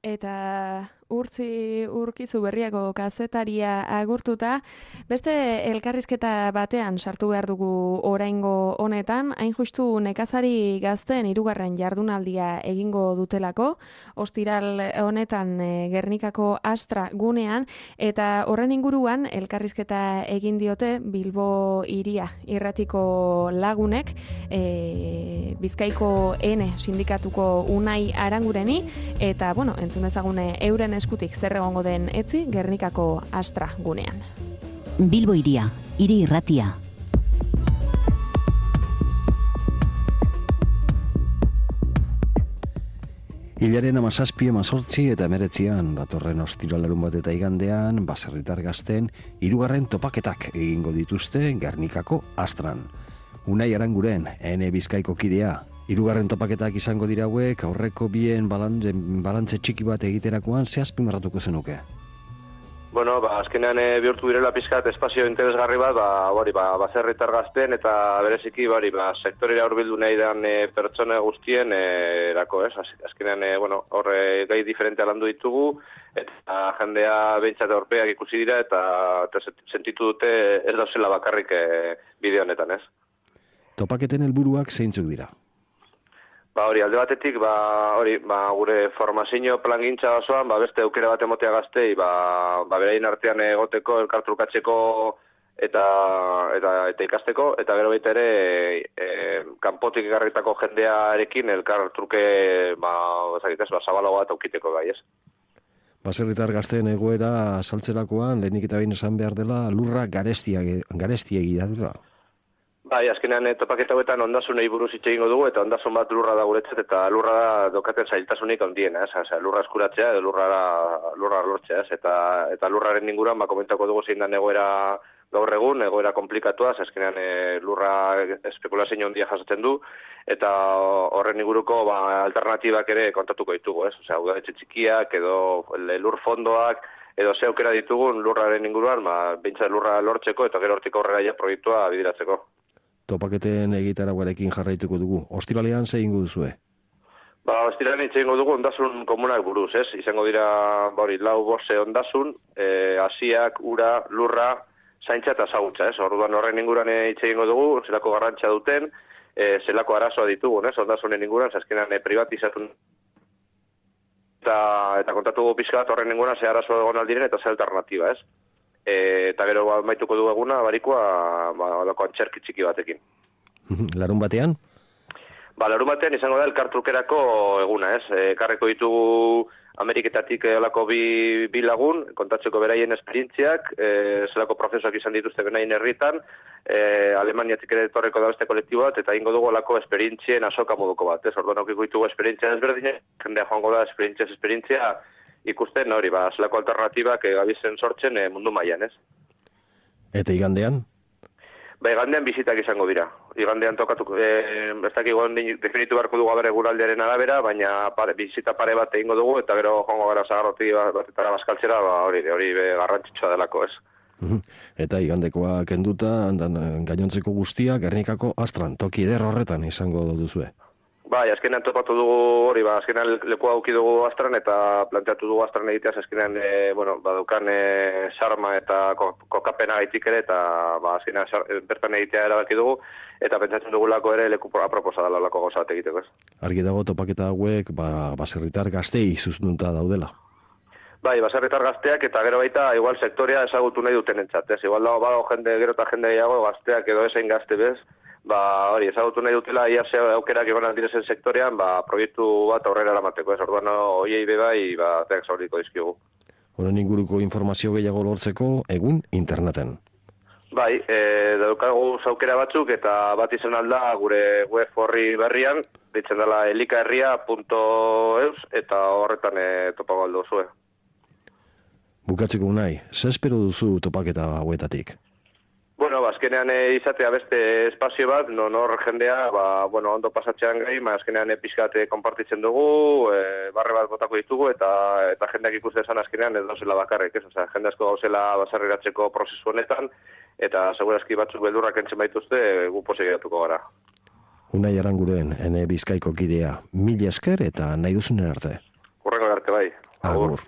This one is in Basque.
Eta urkizu berriako kazetaria agurtuta, beste elkarrizketa batean sartu behar dugu oraingo honetan, hain justu nekazari gazteen hirugarren jardunaldia egingo dutelako, ostiral honetan Gernikako Astra gunean, eta horren inguruan elkarrizketa egin diote Bilbo hiria irratiko lagunek, Bizkaiko N sindikatuko Unai Arangureni, eta, entzun ezagune euren eskutik zer egongo den etzi Gernikako Astra gunean. Bilbo hiria, hiri irratia. Hilaren 17, 18 eta 19 datorren ostiralarun bat eta igandean, baserritar gazten hirugarren topaketak egingo dituzte Gernikako Astran. Unai Aranguren, N Bizkaiko kidea, hirugarren topaketak izango dira hauek, aurreko bien balantze txiki bat egiterakoan, ze azpimarratuko zenuke? Bueno, azkenean bihurtu direla pizkat espazio interesgarri bat, baserritar gazten eta bereziki sektorera hurbildu nahi den pertsona guztien erako, ez? Azkenean, horre gai diferentea landu ditugu, eta jendea behintzat aurpeak ikusi dira, eta sentitu dute ez dauzela bakarrik bideo honetan, ez? Topaketen helburuak zeintzuk dira? Alde batetik, gure formazio plangintza osoan, beste aukera bat emotea gaztei, beraien artean egoteko, elkartrukatzeko eta ikasteko, eta gero baita ere, kanpotik egarritako jendearekin elkartruke, zabalago bat aukiteko gai, ez? Baserritar gazteen egoera saltzerakoan, lehenik eta behin esan behar dela, lurra garestiegi da dela. Azkenean topaketa hauetan ondasunei buruz hitz egingo dugu, eta ondasun bat lurra da guretzat, eta lurra da dokaten zailtasunik handiena, lurra eskuratzea edo lurra lortzea, eta lurraren inguruan komentako dugu zein da egoera gaur egun, egoera komplikatua, azkenean lurra espekulazio handia jasotzen du, eta horren inguruko alternatibak ere kontatuko ditugu, udaletxe txikiak edo lur fondoak, edo ze aukera ditugun lurraren inguruan, behintzat lurra lortzeko eta gero hortik aurrera proiektua bideratzeko. Topaketen egitaraguarekin jarraituko dugu. Ostiralean ze egingo duzue? Ostiralean hitz egingo dugu ondasun komunak buruz, ez? Izango dira, 4 ondasun, hasiak, ura, lurra, zaintza eta ezagutza, ez? Orduan horren inguruan hitz egingo dugu, zelako garrantzia duten, zelako arazoa ditugun, ez? Ondasunen inguruan, azkenean privatizatu eta kontatu dugu pixka bat horren inguruan ze arazoa egon aldiren eta ze alternatiba, ez? Eta gero maituko du eguna, barikoa, lako antxerki txiki batekin. Larun batean? Larun batean izango da elkartrukerako eguna, ez? Karreko ditugu Ameriketatik lako bi lagun, kontatzeko beraien esperientziak, zelako prozesuak izan dituzte benaien herritan, Alemaniatik ere etorreko da beste kolektibo bat, eta ingo dugu lako esperientzien asoka moduko bat, ez? Orduan okiko ditugu esperientzia ezberdinak, jendea joango da esperientzia ikusten zelako alternatibak gabizen sortzen mundu mailan, ez? Eta igandean? Igandean bizitak izango dira. Igandean tokatuko, ez dakigu definitu beharko dugu abere guraldiaren arabera, baina bizita pare bat egingo dugu, eta gero joango gara zagarroti batetara bazkaltzera, hori garrantzitsua delako, ez? Eta igandekoa kenduta, gainontzeko guztia, Gernikako Astran, toki eder horretan izango duzue. Azkenean topatu dugu hori, azkenean lekua auki dugu Astran eta planteatu dugu Astran egiteaz, azkenean, badukan sarma eta kokapena gaitik ere, eta azkenean bertan egitea erabaki dugu, eta pentsatzen dugulako ere leku aproposa dela lako gauza bat egiteko, ez? Argi dago topaketa hauek, baserritar gaztei zuztunta daudela. Baserritar gazteak eta gero baita, igual sektorea ezagutu nahi duten entzat, ez? Igual dago jende, gero eta jende gehiago gazteak edo esain gazte bez, hori, ezagutu nahi dutela, ia ze aukerak egon aldirezen sektorean, proiektu bat aurrera eramateko, ez? Orduan, hoiei bebai, teak zauriko dizkigu. Honen inguruko informazio gehiago lortzeko, egun interneten. Daukagu aukera batzuk, eta bat izan alda gure web horri berrian, ditzen dela elikaherria.eus, eta horretan topago aldo zue. Bukatzeko nahi, ze espero duzu topaketa hauetatik? Azkenean izatea beste espazio bat, nor jendea, ondo pasatzean gai, azkenean pixkat konpartitzen dugu, barre bat botako ditugu, eta jendeak ikusten esan azkenean ez dauzela bakarrik, ez? Jende asko gauzela basarreratzeko prozesu honetan, eta segurazki batzuk beldurrak entzen baituzte, gu posegiratuko gara. Unai Aranguren, N Bizkaiko kidea, mila esker eta nahi duzunen arte. Hurrengo arte bai. Agur.